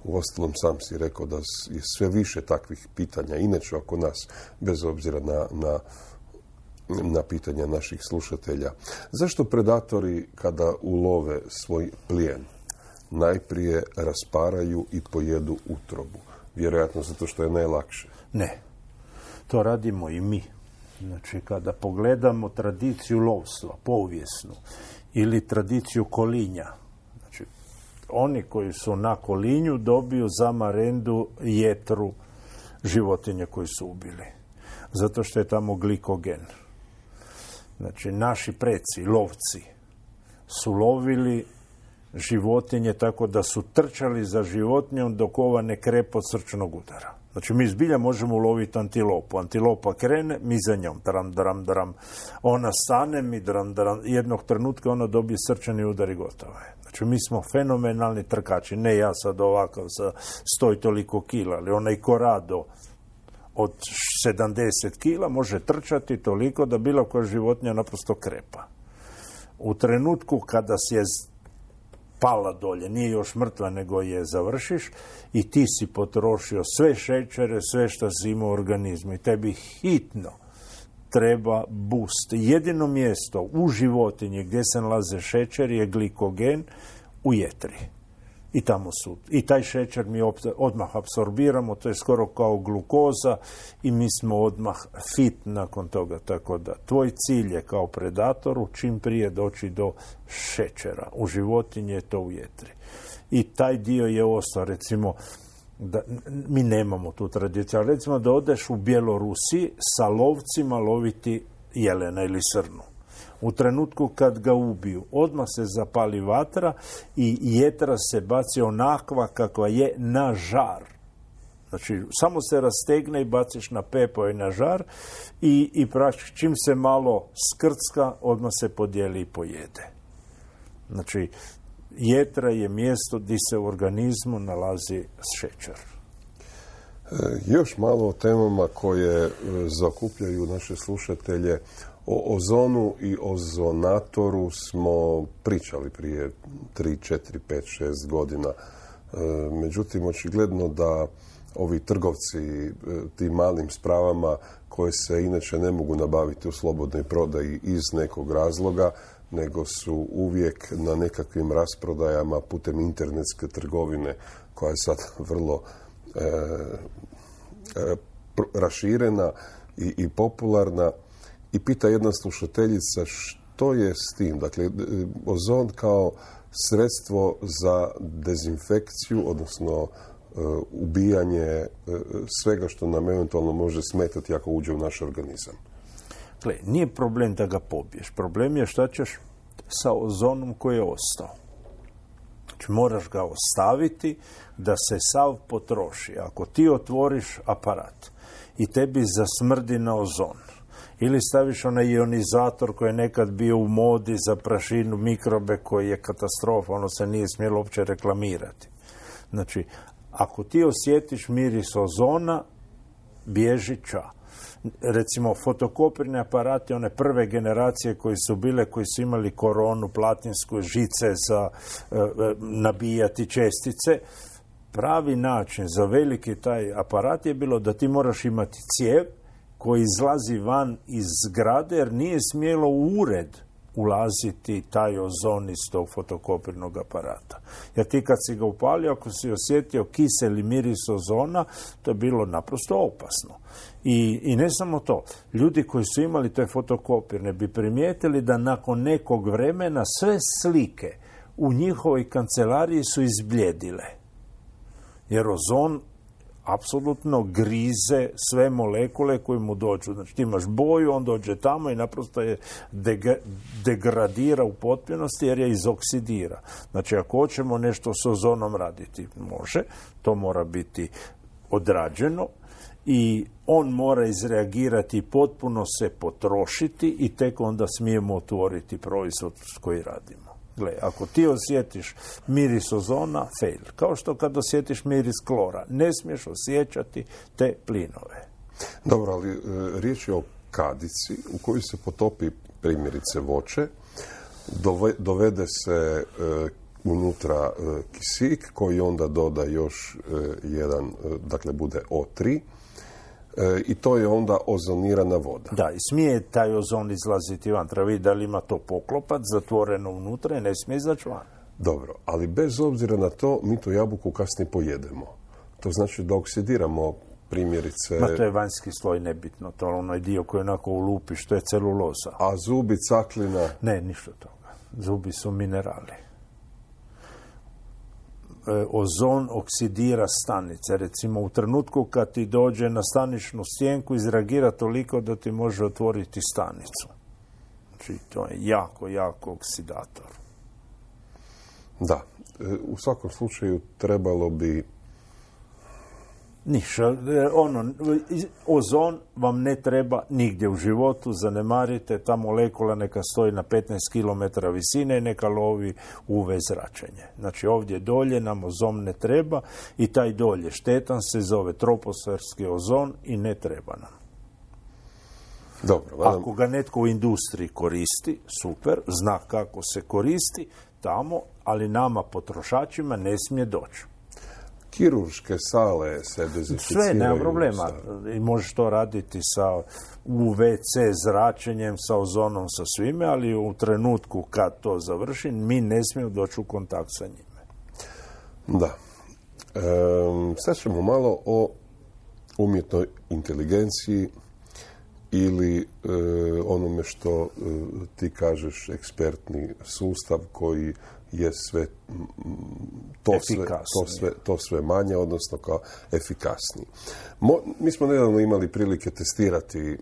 F: Uostalom sam si rekao da je sve više takvih pitanja. Inače oko nas, bez obzira na pitanja naših slušatelja. Zašto predatori kada ulove svoj plijen najprije rasparaju i pojedu utrobu. Vjerojatno zato što je najlakše.
G: Ne, to radimo i mi. Znači, kada pogledamo tradiciju lovstva, povijesnu, ili tradiciju kolinja, znači, oni koji su na kolinju dobiju za marendu jetru životinje koje su ubili. Zato što je tamo glikogen. Znači, naši preci, lovci, su lovili životinje tako da su trčali za životinjom dok ova ne krepa od srčanog udara. Znači, mi zbilja možemo uloviti antilopu. Antilopa krene, mi za njom. Dram, dram, dram. Ona stane, mi dram, dram. Jednog trenutka ona dobije srčani udar i gotovo je. Znači, mi smo fenomenalni trkači. Ne ja sad ovakav sa 100 i toliko kila, ali onaj Corrado od 70 kila može trčati toliko da bilo koja životinja naprosto krepa. U trenutku kada si je pala dolje, nije još mrtva, nego je završiš i ti si potrošio sve šećere, sve što si imao u organizmu i tebi hitno treba boost. Jedino mjesto u životinji gdje se nalaze šećer je glikogen u jetri. I tamo su. I taj šećer mi odmah apsorbiramo, to je skoro kao glukoza i mi smo odmah fit nakon toga. Tako da tvoj cilj je kao predatoru čim prije doći do šećera. U životinji je to u jetri. I taj dio je ostao, recimo, da, mi nemamo tu tradiciju, ali recimo da odeš u Bjelorusiji sa lovcima loviti jelena ili srnu. U trenutku kad ga ubiju, odmah se zapali vatra i jetra se baci onakva kakva je na žar. Znači, samo se rastegne i baciš na pepeo i na žar i čim se malo skrcka, odmah se podijeli i pojede. Znači, jetra je mjesto gdje se u organizmu nalazi šećer.
F: Još malo o temama koje zakupljaju naše slušatelje. O ozonu i ozonatoru smo pričali prije 3, 4, 5, 6 godina. Međutim, očigledno da ovi trgovci tim malim spravama koje se inače ne mogu nabaviti u slobodnoj prodaji iz nekog razloga, nego su uvijek na nekakvim rasprodajama putem internetske trgovine koja je sad vrlo raširena i popularna. I pita jedna slušateljica što je s tim. Dakle, ozon kao sredstvo za dezinfekciju, odnosno ubijanje svega što nam eventualno može smetati ako uđe u naš organizam.
G: Gle, nije problem da ga pobiješ. Problem je šta ćeš sa ozonom koji je ostao. Znači, moraš ga ostaviti da se sav potroši. Ako ti otvoriš aparat i tebi zasmrdi na ozon, ili staviš onaj ionizator koji je nekad bio u modi za prašinu, mikrobe, koji je katastrofa, ono se nije smjelo uopće reklamirati. Znači, ako ti osjetiš miris ozona, bježi ča. Recimo, fotokopirni aparati, one prve generacije koji su bile, koji su imali koronu, platinsku, žice za nabijati čestice, pravi način za veliki taj aparat je bilo da ti moraš imati cijev koji izlazi van iz zgrade, jer nije smjelo u ured ulaziti taj ozon iz tog fotokopirnog aparata. Jer ti kad si ga upalio, ako si osjetio kiseli miris ozona, to je bilo naprosto opasno. I ne samo to. Ljudi koji su imali te fotokopirne bi primijetili da nakon nekog vremena sve slike u njihovoj kancelariji su izbljedile. Jer ozon apsolutno grize sve molekule koje mu dođu. Znači, ti imaš boju, on dođe tamo i naprosto je degradira u potpunosti jer je izoksidira. Znači, ako hoćemo nešto s ozonom raditi, može, to mora biti odrađeno i on mora izreagirati i potpuno se potrošiti i tek onda smijemo otvoriti proizvod s koji radimo. Gle, ako ti osjetiš miris ozona, fail. Kao što kad osjetiš miris klora. Ne smiješ osjećati te plinove.
F: Dobro, ali riječ je o kadici u kojoj se potopi primjerice voće, dovede se unutra kisik koji onda doda još jedan, dakle bude O3, i to je onda ozonirana voda.
G: Da, i smije taj ozon izlaziti van. Treba vidjeti da li ima to poklopac zatvoreno unutra i ne smije izaći van.
F: Dobro, ali bez obzira na to, mi tu jabuku kasnije pojedemo. To znači da oksidiramo primjerice...
G: Ma to je vanjski sloj, nebitno. To je onaj dio koji onako ulupi, što je celuloza.
F: A zubi, caklina?
G: Ne, ništa toga. Zubi su minerali. Ozon oksidira stanice. Recimo, u trenutku kad ti dođe na staničnu stjenku, izreagira toliko da ti može otvoriti stanicu. Znači, to je jako, jako oksidator.
F: Da. U svakom slučaju trebalo bi...
G: Ništa. Ozon vam ne treba nigdje u životu, zanemarite, ta molekula neka stoji na 15 km visine i neka lovi UV zračenje. Znači ovdje dolje nam ozon ne treba i taj dolje štetan se zove troposferski ozon i ne treba nam.
F: Dobro,
G: ako ga netko u industriji koristi, super, zna kako se koristi tamo, ali nama potrošačima ne smije doći.
F: Kirurške sale se dezinficiraju.
G: Sve, nema problema. I možeš to raditi sa UVC zračenjem, sa ozonom, sa svime, ali u trenutku kad to završi, mi ne smijemo doći u kontakt sa njime.
F: Da. Sad ćemo malo o umjetnoj inteligenciji ili onome što ti kažeš ekspertni sustav koji je sve to sve manje, odnosno kao efikasniji. Mi smo nedavno imali prilike testirati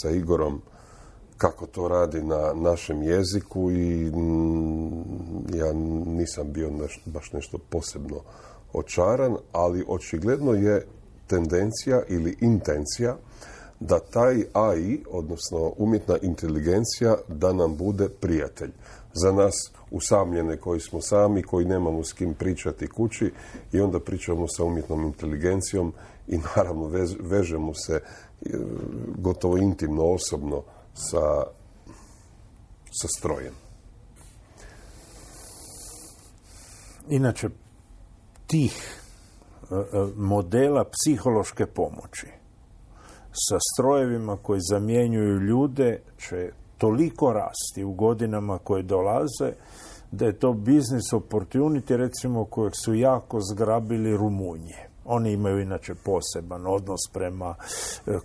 F: sa Igorom kako to radi na našem jeziku i ja nisam bio baš nešto posebno očaran, ali očigledno je tendencija ili intencija da taj AI, odnosno umjetna inteligencija, da nam bude prijatelj. Za nas usamljene koji smo sami, koji nemamo s kim pričati kući i onda pričamo sa umjetnom inteligencijom i naravno vežemo se gotovo intimno, osobno sa strojem.
G: Inače, tih modela psihološke pomoći sa strojevima koji zamjenjuju ljude će toliko rasti u godinama koje dolaze da je to business opportunity, recimo, kojeg su jako zgrabili Rumunji. Oni imaju inače poseban odnos prema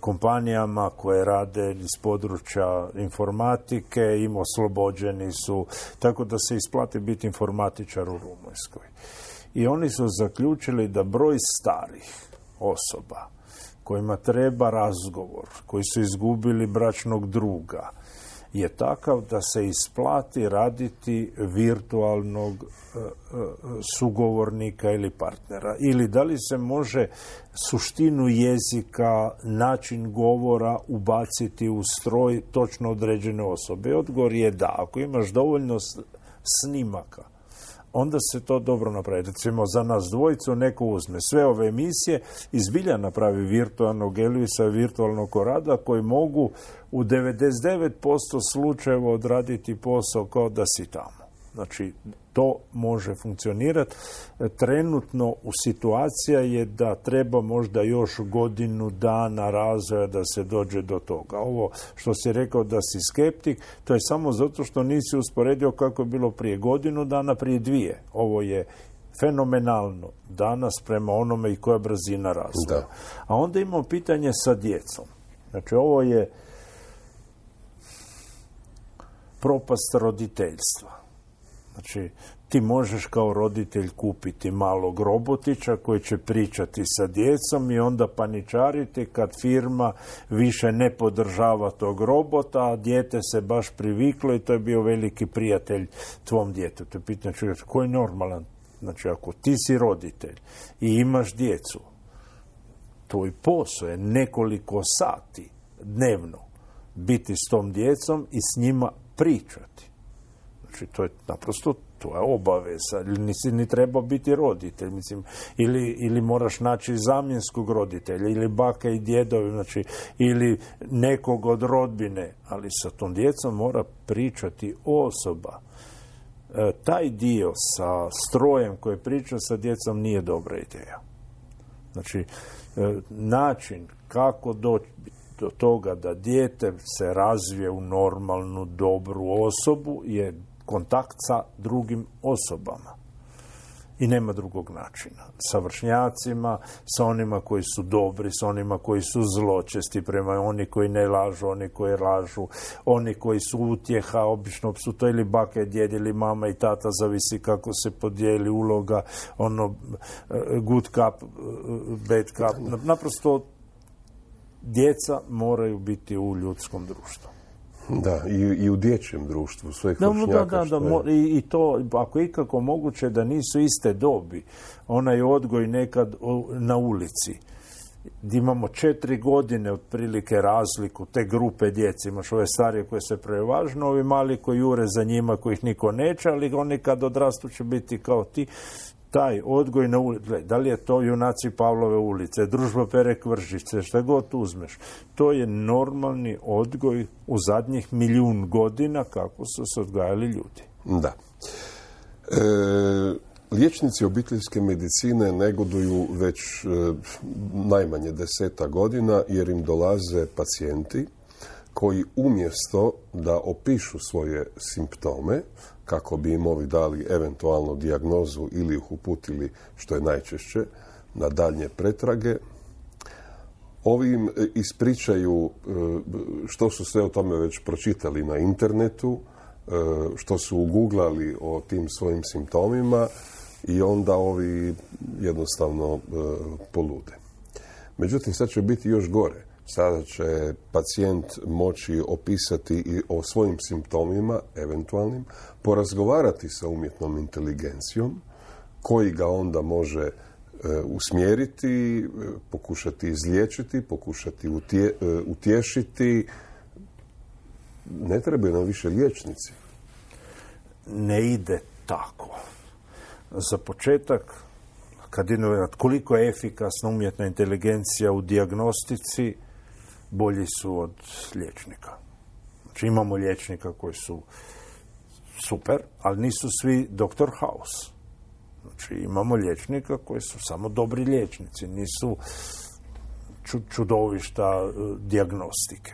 G: kompanijama koje rade iz područja informatike, im oslobođeni su, tako da se isplati biti informatičar u Rumunjskoj. I oni su zaključili da broj starih osoba kojima treba razgovor, koji su izgubili bračnog druga, je takav da se isplati raditi virtualnog sugovornika ili partnera. Ili da li se može suštinu jezika, način govora ubaciti u stroj točno određene osobe. Odgovor je da. Ako imaš dovoljno snimaka, onda se to dobro napravi. Recimo, za nas dvojicu neko uzme sve ove emisije i zbilja napravi virtualnog Elvisa, virtualnog Korada, koji mogu u 99% slučajeva odraditi posao kao da si tamo. Znači, to može funkcionirati. Trenutno u situacija je da treba možda još godinu dana razvoja da se dođe do toga. Ovo što si rekao da si skeptik, to je samo zato što nisi usporedio kako je bilo prije godinu dana, prije 2. Ovo je fenomenalno danas prema onome i koja brzina razvoja. Da. A onda imamo pitanje sa djecom. Znači, ovo je propast roditeljstva. Znači, ti možeš kao roditelj kupiti malog robotića koji će pričati sa djecom i onda paničariti kad firma više ne podržava tog robota, a dijete se baš priviklo i to je bio veliki prijatelj tvom djetetu. Pitanje čovjek, koji je normalan? Znači, ako ti si roditelj i imaš djecu, tvoj posao je nekoliko sati dnevno biti s tom djecom i s njima pričati. Znači, to je naprosto, to je obaveza. Nisi ni trebao biti roditelj, mislim, ili moraš naći zamjenskog roditelja, ili baka i djedovi, znači, ili nekog od rodbine, ali sa tom djecom mora pričati osoba. Taj dio sa strojem koji priča sa djecom nije dobra ideja. Znači, način kako doći do toga da dijete se razvije u normalnu, dobru osobu je kontakt sa drugim osobama. I nema drugog načina. Sa vršnjacima, sa onima koji su dobri, sa onima koji su zločesti, prema oni koji ne lažu, oni koji lažu, oni koji su utjeha, obično su to ili baka i djed ili mama i tata, zavisi kako se podijeli uloga, good cup, bad cup. Naprosto djeca moraju biti u ljudskom društvu.
F: Da, i u dječjem društvu, svojih vršnjaka.
G: I to, ako je ikako moguće da nisu iste dobi, onaj odgoj nekad na ulici, gdje imamo 4 godine otprilike razliku, te grupe djece, imaš ove starije koje se prevažno, ovi mali koji jure za njima, kojih niko neće, ali oni kad odrastu će biti kao ti. Taj odgoj na ulici, da li je to Junaci Pavlove ulice, Družba Pere Kvržice, šta god uzmeš, to je normalni odgoj u zadnjih 1.000.000 godina kako su se odgajali ljudi.
F: Da. Liječnici obiteljske medicine negoduju već najmanje 10 godina jer im dolaze pacijenti koji umjesto da opišu svoje simptome, kako bi im ovi dali eventualno dijagnozu ili ih uputili, što je najčešće, na daljnje pretrage, ovi im ispričaju što su sve o tome već pročitali na internetu, što su uguglali o tim svojim simptomima i onda ovi jednostavno polude. Međutim, sad će biti još gore. Sada će pacijent moći opisati i o svojim simptomima, eventualnim, porazgovarati sa umjetnom inteligencijom, koji ga onda može usmjeriti, pokušati izliječiti, pokušati utješiti. Ne trebaju nam više liječnici.
G: Ne ide tako. Za početak, koliko je efikasna umjetna inteligencija u dijagnostici, bolji su od liječnika. Znači imamo liječnika koji su super, ali nisu svi Dr. House. Znači imamo liječnika koji su samo dobri liječnici, nisu čudovišta dijagnostike.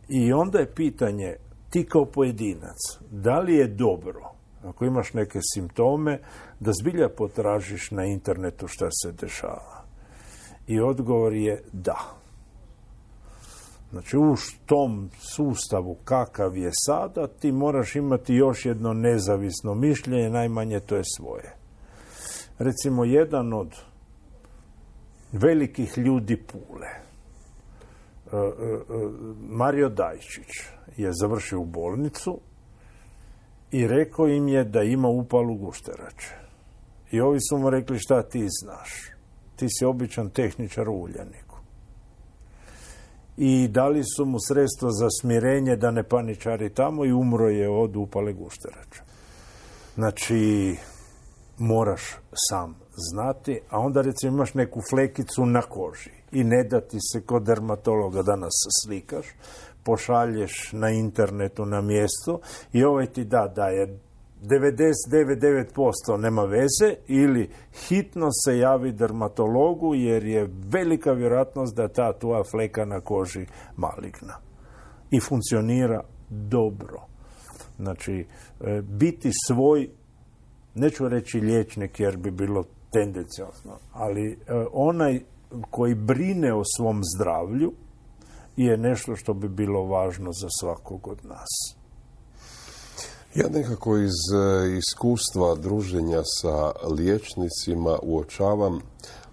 G: I onda je pitanje, ti kao pojedinac, da li je dobro, ako imaš neke simptome, da zbilja potražiš na internetu šta se dešava? I odgovor je da. Znači, u tom sustavu kakav je sada, ti moraš imati još jedno nezavisno mišljenje, najmanje to je svoje. Recimo, jedan od velikih ljudi Pule, Mario Dajčić, je završio u bolnicu i rekao im je da ima upalu gušterače. I ovi su mu rekli, šta ti znaš? Ti si običan tehničar u Uljaniku. I dali su mu sredstvo za smirenje da ne paničari tamo i umro je od upale gušterača. Znači, moraš sam znati, a onda recimo imaš neku flekicu na koži i ne da ti se kod dermatologa danas slikaš, pošalješ na internetu na mjesto i ovaj ti da je 99,9% nema veze ili hitno se javi dermatologu jer je velika vjerojatnost da ta tvoja fleka na koži maligna. I funkcionira dobro. Znači, biti svoj, neću reći liječnik jer bi bilo tendenciozno, ali onaj koji brine o svom zdravlju je nešto što bi bilo važno za svakog od nas.
F: Ja nekako iz iskustva druženja sa liječnicima uočavam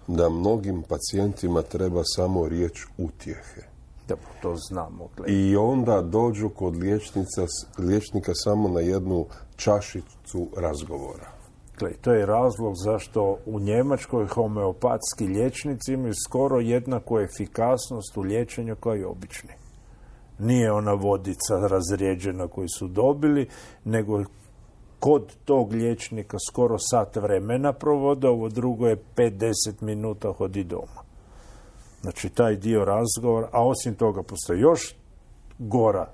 F: da mnogim pacijentima treba samo riječ utjehe.
G: Da, to znamo.
F: I onda dođu kod liječnika samo na jednu čašicu razgovora.
G: To je razlog zašto u Njemačkoj homeopatski liječnici imaju skoro jednaku efikasnost u liječenju kao i obični. Nije ona vodica razrijeđena koju su dobili, nego kod tog liječnika skoro sat vremena provode, ovo drugo je 5-10 minuta hodi doma. Znači, taj dio razgovora, a osim toga postoji još gora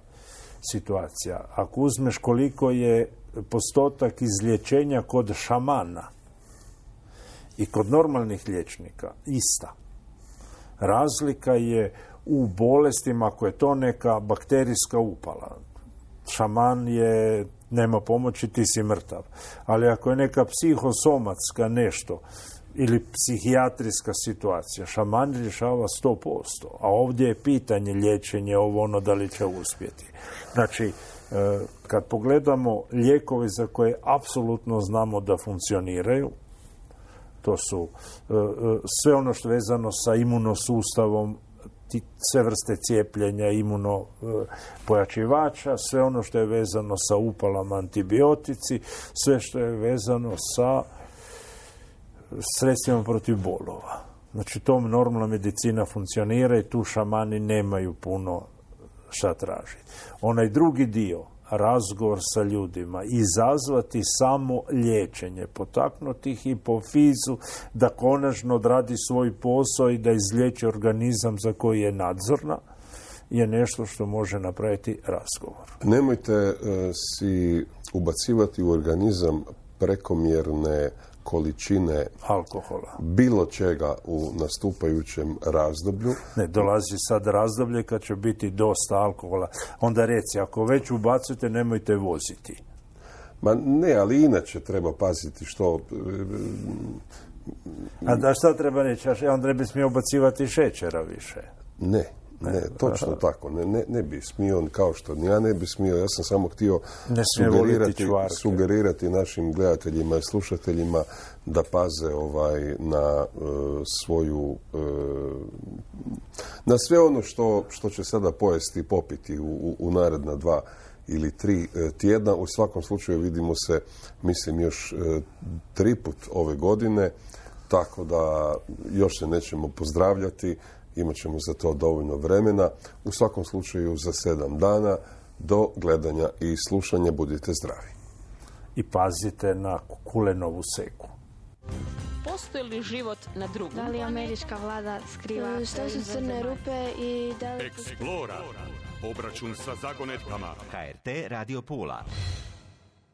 G: situacija. Ako uzmeš koliko je postotak izlječenja kod šamana i kod normalnih liječnika, ista. Razlika je u bolestima, ako je to neka bakterijska upala. Šaman je nema pomoći, ti si mrtav. Ali ako je neka psihosomatska nešto ili psihijatrijska situacija, šaman rješava 100%. A ovdje je pitanje liječenja, ovo ono, da li će uspjeti. Znači, kad pogledamo lijekove za koje apsolutno znamo da funkcioniraju, to su sve ono što je vezano sa imunosustavom, sve vrste cijepljenja, imunopojačivača, sve ono što je vezano sa upalama, antibiotici, sve što je vezano sa sredstvima protiv bolova. Znači, tom normalna medicina funkcionira i tu šamani nemaju puno šta tražiti. Onaj drugi dio, razgovor sa ljudima, izazvati samo liječenje, potaknuti ih hipofizu da konačno odradi svoj posao i da izliječi organizam za koji je nadzorna, je nešto što može napraviti razgovor.
F: Nemojte si ubacivati u organizam prekomjerne količine
G: alkohola,
F: bilo čega u nastupajućem razdoblju.
G: Ne, dolazi sad razdoblje kad će biti dosta alkohola. Onda reci, ako već ubacujete, nemojte voziti.
F: Ma ne, ali inače treba paziti što...
G: A da šta treba reći? Onda ne bi smio ubacivati šećera više.
F: Ne, točno tako. Ne bi smio, kao što ja ne bi smio. Ja sam samo htio sugerirati našim gledateljima i slušateljima da paze na svoju na sve ono što će sada pojesti i popiti u naredna 2 ili 3 tjedna. U svakom slučaju vidimo se, mislim, još 3 put ove godine, tako da još se nećemo pozdravljati. Imat ćemo za to dovoljno vremena. U svakom slučaju za 7 dana do gledanja i slušanja. Budite zdravi.
G: I pazite na kulenovu seku.
A: Postoji li život na drugom?
B: Da li američka vlada skriva? Što su crne rupe i da li...
D: Explora. Obračun sa zagonetkama.
E: HRT Radio Pula.